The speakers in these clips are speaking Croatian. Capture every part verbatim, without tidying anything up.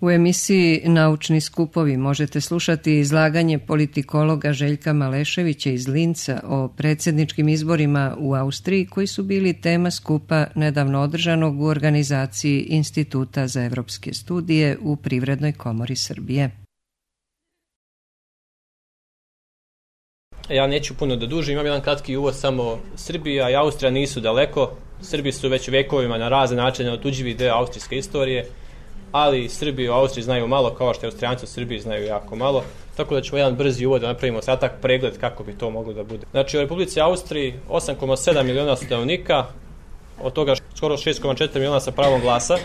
U emisiji Naučni skupovi možete slušati izlaganje politikologa Željka Maleševića iz Linca o predsjedničkim izborima u Austriji koji su bili tema skupa nedavno održanog u organizaciji Instituta za evropske studije u Privrednoj komori Srbije. Ja neću puno da dužim, imam jedan kratki uvod, samo Srbija i Austrija nisu daleko. Srbi su već vekovima na razne načine otuđivi deo austrijske istorije, ali Srbi u Austriji znaju malo, kao što Austrijanci u Srbiji znaju jako malo, tako da ćemo jedan brzi uvod da napravimo kratak pregled kako bi to moglo da bude. Znači u Republici Austriji osam zarez sedam miliona stanovnika, od toga skoro šest zarez četiri miliona sa pravom glasa,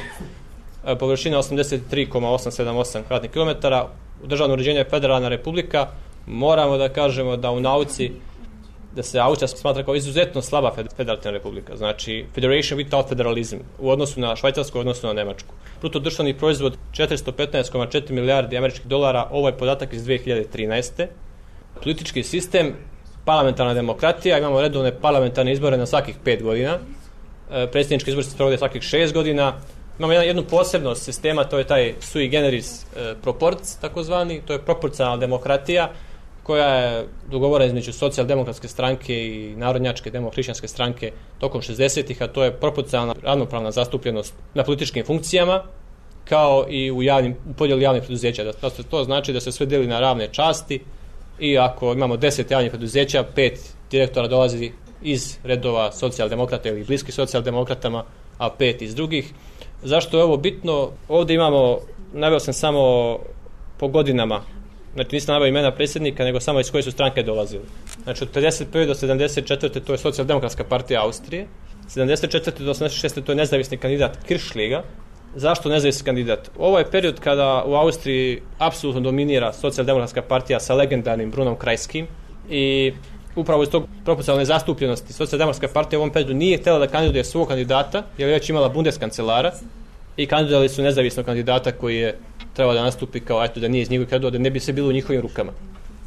površina osamdeset tri zarez osamsto sedamdesijet osam kvadratnih kilometara, državno uređenje je federalna republika. Moramo da kažemo da u nauci da se Austrija smatra kao izuzetno slaba federativna republika, znači federation without federalism u odnosu na Švajcarsku, u odnosu na Nemačku. Bruto društveni proizvod četiristo petnaest zarez četiri milijardi američkih dolara, ovo je podatak iz dve hiljade trinaeste. Politički sistem, parlamentarna demokratija, imamo redovne parlamentarne izbore na svakih pet godina, predsjednički izbori se sprovode svakih šest godina. Imamo jednu posebnost sistema, to je taj sui generis proporc, takozvani, to je proporcionalna demokratija, koja je dogovorena između socijaldemokratske stranke i narodnjačke demohrišćanske stranke tokom šezdesetih, a to je proporcionalna ravnopravna zastupljenost na političkim funkcijama, kao i u, javnim, u podjeli javnih preduzeća. Da, da to znači da se sve deli na ravne časti i ako imamo deset javnih preduzeća, pet direktora dolazi iz redova socijaldemokrata ili bliski socijaldemokratama, a pet iz drugih. Zašto je ovo bitno? Ovdje imamo, naveo sam samo po godinama, znači nisam naveo imena predsjednika, nego samo iz koje su stranke dolazili. Znači od pedeset prve do sedamdeset četvrte to je socijaldemokratska partija Austrije, sedamdeset četvrte do osamdeset šeste to je nezavisni kandidat Kirchliega. Zašto nezavisni kandidat? Ovo je period kada u Austriji apsolutno dominira socijaldemokratska partija sa legendarnim Brunom Kreiskim i upravo iz tog proporcionalne zastupljenosti socijaldemokratska partija u ovom periodu nije htjela da kandiduje svog kandidata, jer je već imala bundeskancelara i kandidovali su nezavisnog kandidata koji je trebao da nastupi kao eto da nije iz njihovih redova, da ne bi se bilo u njihovim rukama.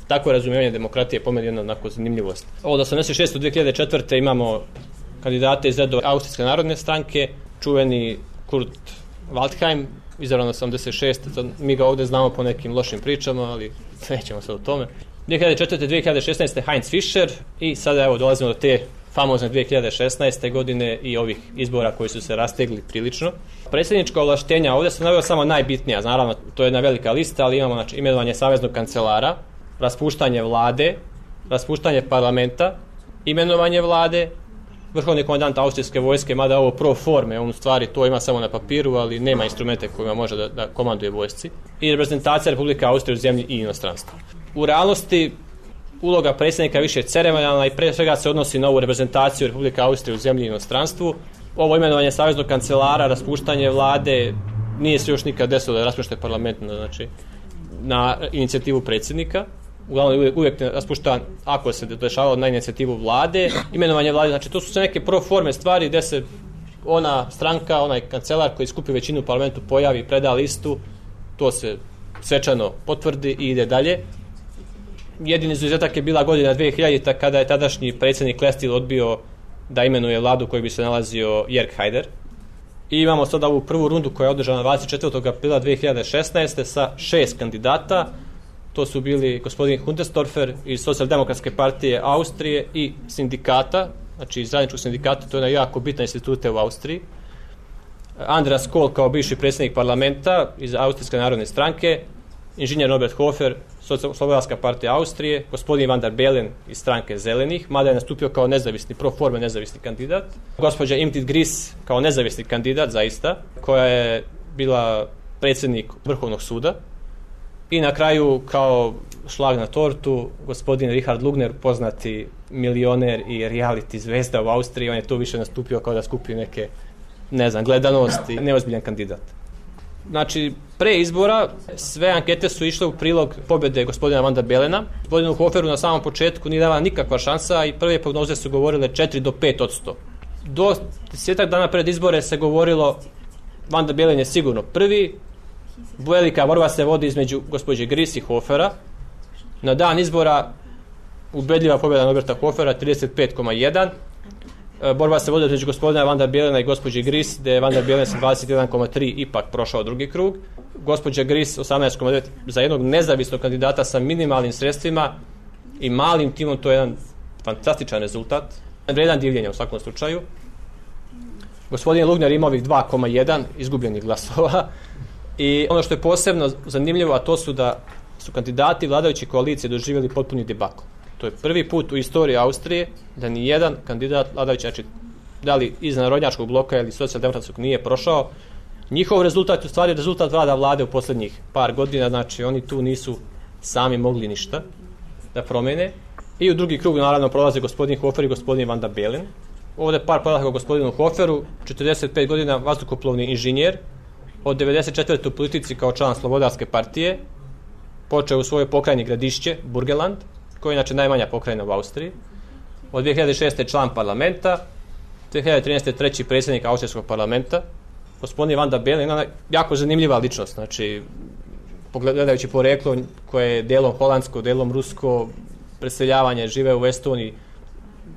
Tako je razumijevanje demokratije, po meni jedna onako zanimljivost. Od osamdeset šeste do dve hiljade četvrte imamo kandidate iz redova Austrijske narodne stranke, čuveni Kurt Waldheim, izabran osamdeset šeste Mi ga ovdje znamo po nekim lošim pričama, ali nećemo sad o tome. dve hiljade četvrte do dve hiljade šesnaeste Heinz Fischer i sada evo dolazimo do te famozne dve hiljade šesnaeste godine i ovih izbora koji su se rastegli prilično. Predsjednička ovlaštenja, ovdje sam naveo samo najbitnija, naravno to je jedna velika lista, ali imamo znači, imenovanje saveznog kancelara, raspuštanje vlade, raspuštanje parlamenta, imenovanje vlade, vrhovni komandant austrijske vojske, mada ovo pro forme, on u stvari to ima samo na papiru, ali nema instrumente kojima može da, da komanduje vojsci, i reprezentacija Republike Austrije u zemlji i inostranstvu. U realnosti uloga predsjednika je više ceremonijalna i pre svega se odnosi na ovu reprezentaciju Republike Austrije u zemlji i inostranstvu. Ovo imenovanje saveznog kancelara, raspuštanje vlade, nije se još nikad desilo da raspušte parlament, znači na inicijativu predsjednika. Uglavnom uvijek, uvijek raspušta ako se dešavalo na inicijativu vlade. Imenovanje vlade, znači to su sve neke pro forme stvari gdje se ona stranka, onaj kancelar koji skupi većinu u parlamentu pojavi, preda listu, to se svečano potvrdi i ide dalje. Jedini izuzetak je bila godina dve hiljadite kada je tadašnji predsjednik Lestil odbio da imenuje vladu koji bi se nalazio Jörg Haider. I imamo sada ovu prvu rundu koja je održana dvadeset četvrtog aprila dve hiljade šesnaeste sa šest kandidata. To su bili gospodin Hundersdorfer iz Socijaldemokratske partije Austrije i sindikata, znači iz zajedničkog sindikata, to je jedna jako bitna institucija u Austriji. Andreas Kohl kao bivši predsjednik parlamenta iz Austrijske narodne stranke, inženjer Norbert Hofer, Slobodarska partija Austrije, gospodin Van der Bellen iz stranke Zelenih, mada je nastupio kao nezavisni, pro forme nezavisni kandidat, gospođa Imrit Gris kao nezavisni kandidat, zaista, koja je bila predsjednik Vrhovnog suda, i na kraju kao šlag na tortu gospodin Richard Lugner, poznati milioner i reality zvezda u Austriji. On je tu više nastupio kao da skupi neke, ne znam, gledanosti, neozbiljan kandidat. Znači, pre izbora sve ankete su išle u prilog pobjede gospodina Van der Bellena. Gospodinu Hoferu na samom početku nije dala nikakva šansa i prve prognoze su govorile četiri do pet odsto. Do desetak dana pred izbore se govorilo Van der Bellen je sigurno prvi. Velika borba se vodi između gospođe Gris i Hofera. Na dan izbora ubedljiva pobjeda Norberta Hofera trideset pet zarez jedan. Borba se vodi između gospodina Van der Bellena i gospođe Gris, gdje je Van der Bellen sa dvadeset jedan zarez tri ipak prošao drugi krug. gospođa Gris osamnaest zarez devet za jednog nezavisnog kandidata sa minimalnim sredstvima i malim timom, to je jedan fantastičan rezultat. Vredan divljenja u svakom slučaju. Gospodin Lugner ima ovih dva zarez jedan izgubljenih glasova i ono što je posebno zanimljivo, a to su da su kandidati vladajuće koalicije doživjeli potpuni debakl. To je prvi put u istoriji Austrije da ni jedan kandidat vladajući, znači da li iz narodnjačkog bloka ili socijaldemokratskog, nije prošao. Njihov rezultat je u stvari rezultat rada vlade u posljednjih par godina, znači oni tu nisu sami mogli ništa da promene. I u drugi krug naravno prolaze gospodin Hofer i gospodin Van der Bellen. Ovdje par podataka o gospodinu Hoferu, četrdeset pet godina, vazduhoplovni inženjer, od devedeset četvrte u politici kao član Slobodarske partije, počeo u svojoj pokrajini Gradišće, Burgenland, koja je inače najmanja pokrajina u Austriji. Od dvije hiljade šeste član parlamenta, dvije hiljade trinaeste treći predsjednik austrijskog parlamenta. Gospodin Van der Bellen je jako zanimljiva ličnost, znači pogledajući poreklo koje je delom holandsko, delom rusko, preseljavanje, žive u Estoniji.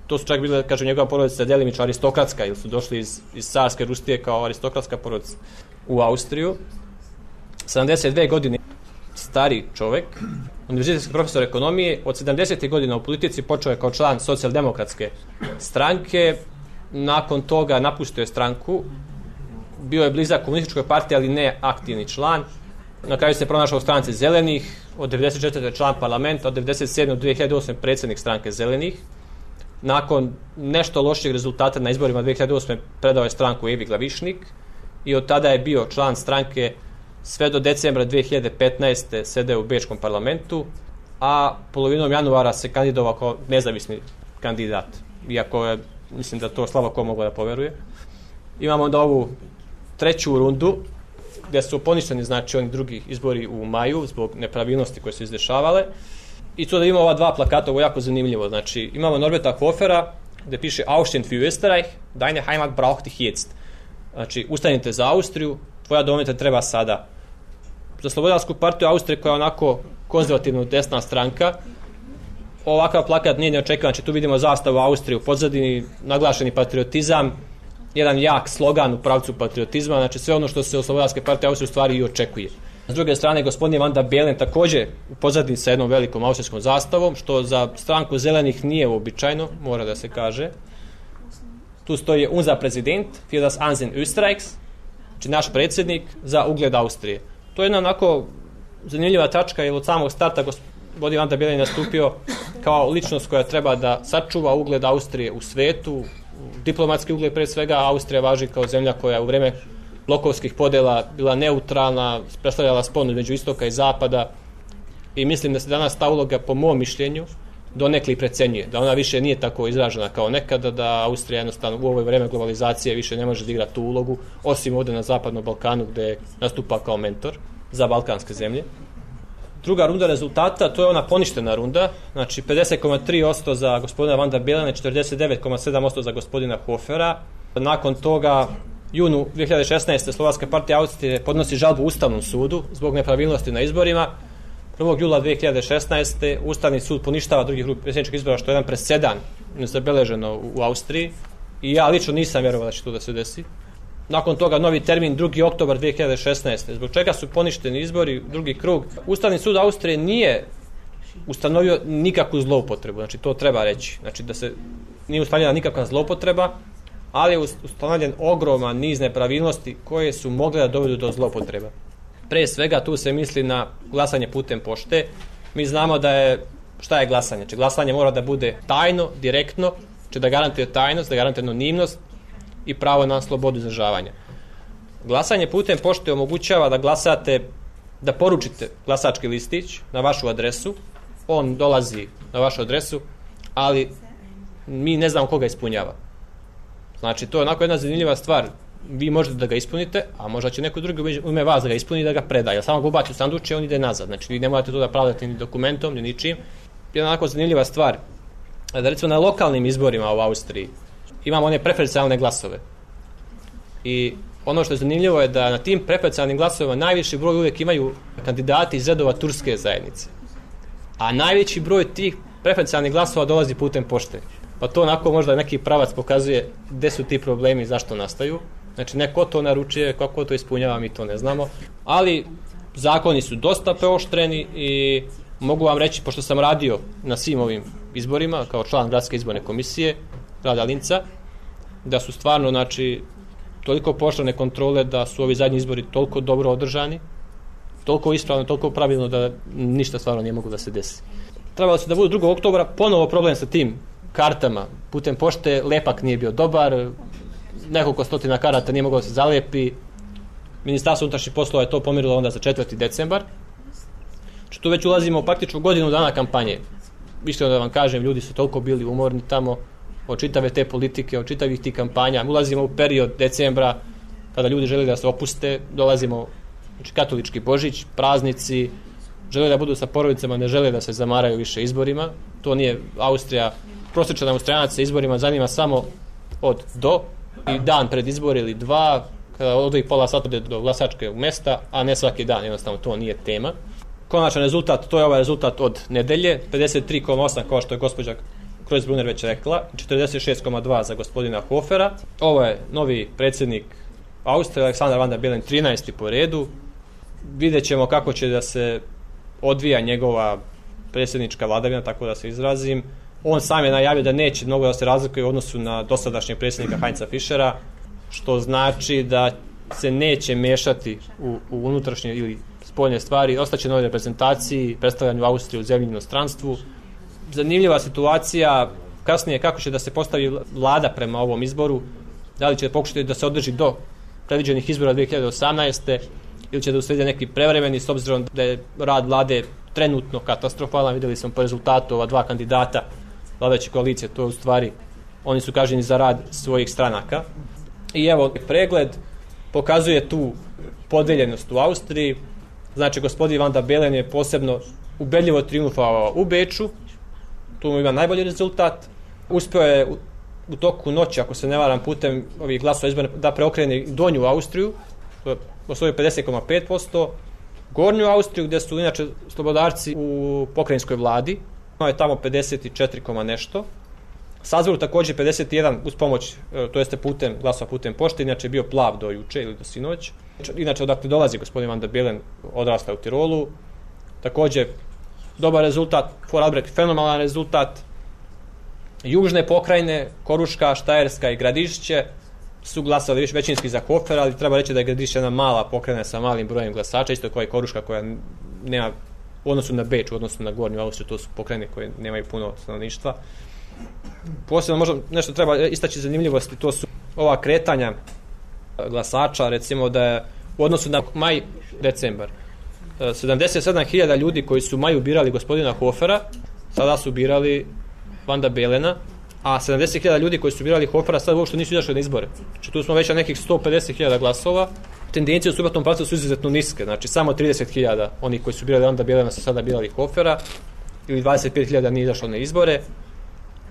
To su čak bile, kažem, njegova porodica delimično aristokratska, ili su došli iz, iz carske Rusije kao aristokratska porodica u Austriju. sedamdeset dvije godine stari čovjek, univerzitetski profesor ekonomije, od sedamdesetih godina u politici, počeo je kao član socijaldemokratske stranke, nakon toga napustio je stranku, bio je blizak komunističkoj partiji, ali ne aktivni član. Na kraju se pronašao u stranci Zelenih, od devedeset četvrte član parlamenta, od devedeset sedme do dvije hiljade osme predsjednik stranke Zelenih. Nakon nešto loših rezultata na izborima dvije hiljade osme predao je stranku Evi Glavišnik i od tada je bio član stranke sve do decembra dvije hiljade petnaeste sedeo u Bečkom parlamentu, a polovinom januara se kandidovao kao nezavisni kandidat, iako je, mislim da to slabo ko moglo da poveruje. Imamo onda ovu treću rundu, gdje su poništeni, znači, oni drugi izbori u maju zbog nepravilnosti koje su izdešavale. I tu da imamo ova dva plakata, ovo je jako zanimljivo. Znači, imamo Norberta Hofera, gdje piše Aufstehen für Österreich, deine Heimat braucht dich jetzt. Znači, ustanite za Austriju, tvoja domovina treba sada. Za Slobodarsku partiju Austrije, koja je onako konzervativno desna stranka, ovakav plakat nije neočekivan. Znači, tu vidimo zastavu Austrije u pozadini, naglašeni patriotizam, jedan jak slogan u pravcu patriotizma, znači sve ono što se od Slobodarske partije Austrije u stvari i očekuje. S druge strane, gospodin Van der Bellen također u pozadini sa jednom velikom austrijskom zastavom, što za stranku Zelenih nije uobičajeno, mora da se kaže. Tu stoji unser Präsident für das Ansehen Österreichs, znači naš predsjednik za ugled Austrije. To je jedna onako zanimljiva tačka, jer od samog starta gospodin Van der Bellen je nastupio kao ličnost koja treba da sačuva ugled Austrije u svetu, diplomatski ugled pre svega. Austrija važi kao zemlja koja u vrijeme blokovskih podjela bila neutralna, predstavljala sponu između istoka i zapada i mislim da se danas ta uloga, po mom mišljenju, donekli precenjuje, da ona više nije tako izražena kao nekada, da Austrija jednostavno u ovo vrijeme globalizacije više ne može da igra tu ulogu, osim ovdje na zapadnom Balkanu gdje nastupa kao mentor za balkanske zemlje. Druga runda rezultata, to je ona poništena runda, znači pedeset zarez tri posto za gospodina Van der Bellena, četrdeset devet zarez sedam posto za gospodina Hofera. Nakon toga, junu dvije hiljade šesnaeste. Slovačka partija Austrije podnosi žalbu Ustavnom sudu zbog nepravilnosti na izborima. prvog jula dvije hiljade šesnaeste. Ustavni sud poništava drugi krug predsjedničkih izbora, što je jedan presedan nezabeleženo u Austriji. I ja lično nisam vjerovao da će to da se desi. Nakon toga novi termin drugi oktobar dvije hiljade šesnaeste. Zbog čega su poništeni izbori, drugi krug. Ustavni sud Austrije nije ustanovio nikakvu zloupotrebu, znači to treba reći. Znači da se nije ustanovljena nikakva zloupotreba, ali je ustanovljen ogroman niz nepravilnosti koje su mogle da dovedu do zloupotreba. Pre svega tu se misli na glasanje putem pošte. Mi znamo da je, šta je glasanje? Znači glasanje mora da bude tajno, direktno, znači da garantuje tajnost, da garantuje anonimnost i pravo na slobodu izražavanja. Glasanje putem pošte omogućava da glasate, da poručite glasački listić na vašu adresu, on dolazi na vašu adresu, ali mi ne znamo koga ispunjava. Znači to je onako jedna zanimljiva stvar. Vi možete da ga ispunite, a možda će neko drugi u ime vas da ga ispuni i da ga predaje. Samo ga ubaci u sanduče, on ide nazad. Znači vi ne morate to da pravdate ni dokumentom, ni ničim. Jedna onako zanimljiva stvar. Da recimo na lokalnim izborima u Austriji imamo one preferencijalne glasove. I ono što je zanimljivo je da na tim preferencijalnim glasovima najviši broj uvijek imaju kandidati iz redova turske zajednice. A najveći broj tih preferencijalnih glasova dolazi putem pošte. Pa to onako možda neki pravac pokazuje gdje su ti problemi i zašto nastaju. Znači neko to naručuje, kako to ispunjava, mi to ne znamo. Ali zakoni su dosta preoštreni i mogu vam reći, pošto sam radio na svim ovim izborima kao član gradske izborne komisije grada Linca, da su stvarno, znači, toliko pooštrene kontrole da su ovi zadnji izbori toliko dobro održani, toliko ispravno, toliko pravilno da ništa stvarno nije moglo da se desi. Trebalo se da budu drugog oktobra, ponovo problem sa tim kartama. Putem pošte lepak nije bio dobar, nekoliko stotina karata nije moglo da se zalepi. Ministarstvo unutrašnjih poslova je to pomirilo onda za četvrti decembar. Znači, tu već ulazimo u praktično godinu dana kampanje. Iskreno da vam kažem, ljudi su toliko bili umorni tamo od čitave te politike, od čitavih tih kampanja. Ulazimo u period decembra kada ljudi žele da se opuste, dolazimo, znači, katolički Božić, praznici, žele da budu sa porodicama, ne žele da se zamaraju više izborima. To nije Austrija. Prosječan Austrijanac se izborima zanima samo od do i dan pred izbor ili dva, kada odvoji pola sata do glasačke mesta, a ne svaki dan, jednostavno to nije tema. Konačan rezultat, to je ovaj rezultat od nedelje, pedeset tri zarez osam kao što je gospođa Kreuzbrunner već rekla, četrdeset šest zarez dva za gospodina Hofera. Ovo je novi predsjednik Austrije, Aleksandar Van der Bellen, trinaesti po redu. Vidjet ćemo kako će da se odvija njegova predsjednička vladavina, tako da se izrazim. On sam je najavio da neće mnogo da se razlikuje u odnosu na dosadašnjeg predsjednika Heinza Fischera, što znači da se neće mešati u, u unutrašnje ili spoljne stvari, ostaće na ovoj reprezentaciji, predstavljanju Austrije u zemlji i inostranstvu. Zanimljiva situacija kasnije kako će da se postavi vlada prema ovom izboru, da li će pokušati da se održi do predviđenih izbora dve hiljade osamnaeste ili će da uslede neki prevremeni, s obzirom da je rad vlade trenutno katastrofalan. Vidjeli smo po rezultatu ova dva kandidata vladajuće koalicije, to je u stvari, oni su kažnjeni za rad svojih stranaka. I evo, pregled pokazuje tu podeljenost u Austriji. Znači, gospodin Van der Bellen je posebno ubedljivo triumfovao u Beču, tu mu ima najbolji rezultat. Uspio je u, u toku noći, ako se ne varam, putem ovih glasova izborne da preokrene donju Austriju, osvojio pedeset zarez pet posto, gornju Austriju gdje su inače slobodarci u pokrajinskoj vladi, ono je tamo pedeset četiri, nešto. Salzburg također pedeset jedan uz pomoć, to jeste putem glasova putem pošte, inače je bio plav do juče ili do sinoć. Inače odakle dolazi gospodin Van der Bellen, odrasta u Tirolu. Također dobar rezultat, Vorarlberg fenomenalan rezultat. Južne pokrajine, Koruška, Štajerska i Gradišće su glasali većinski za Hofera, ali treba reći da je Gradišće jedna mala pokrajina sa malim brojem glasača, isto kao i Koruška koja nema u odnosu na Beč, u odnosu na Gornju Austriju, to su pokrajine koje nemaju puno stanovništva. Posebno možda nešto treba istaći zanimljivosti, to su ova kretanja glasača, recimo da je u odnosu na maj, decembar, sedamdeset sedam hiljada ljudi koji su u maju birali gospodina Hofera, sada su birali Van der Bellena, a sedamdeset hiljada ljudi koji su birali Hofera sad uopšte nisu izašli na izbore. Znači tu smo već na nekih sto pedeset hiljada glasova. Tendencije u suprotnom pravcu su izuzetno niske, znači samo trideset hiljada onih koji su birali Van der Bellena su sada birali Hofera, ili dvadeset pet hiljada nije izašlo na izbore,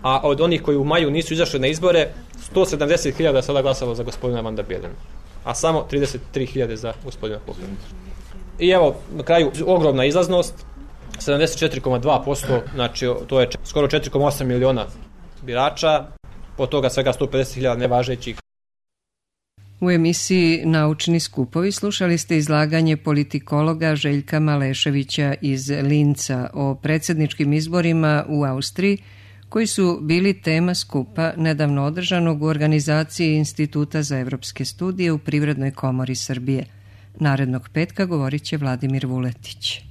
a od onih koji u maju nisu izašli na izbore, sto sedamdeset hiljada sada glasalo za gospodina Van der Bellena, a samo trideset tri hiljade za gospodina Hofera. I evo, na kraju, ogromna izlaznost, sedamdeset četiri zarez dva posto, znači to je skoro četiri zarez osam miliona birača, od toga svega sto pedeset hiljada nevažećih. U emisiji Naučni skupovi slušali ste izlaganje politikologa Željka Maleševića iz Linca o predsjedničkim izborima u Austriji, koji su bili tema skupa nedavno održanog u organizaciji Instituta za evropske studije u Privrednoj komori Srbije. Narednog petka govorit će Vladimir Vuletić.